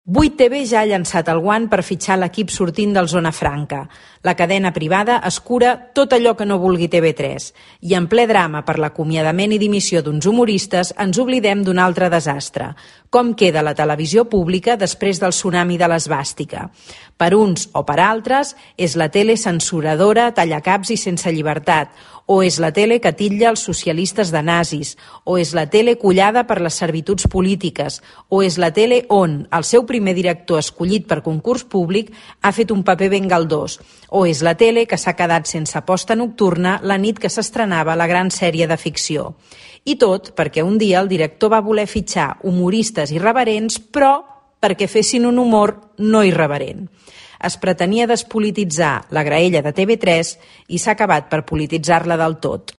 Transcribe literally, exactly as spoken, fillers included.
vuit T V ja ha llançat el guant per fitxar l'equip sortint del Zona Franca. La cadena privada es cura tot allò que no vulgui T V tres. I en ple drama per l'acomiadament i dimissió d'uns humoristes ens oblidem d'un altre desastre. Com queda la televisió pública després del tsunami de l'esvàstica? Per uns o per altres, és la tele censuradora, tallacaps i sense llibertat, o és la tele que titlla els socialistes de nazis, o és la tele collada per les servituds polítiques, o és la tele on el seu primer director escollit per concurs públic ha fet un paper ben galdós, o és la tele que s'ha quedat sense posta nocturna la nit que s'estrenava la gran sèrie de ficció. I tot perquè un dia el director va voler fitxar humoristes irreverents, però perquè fessin un humor no irreverent. Es pretenia despolititzar la graella de T V tres i s'ha acabat per polititzar-la del tot.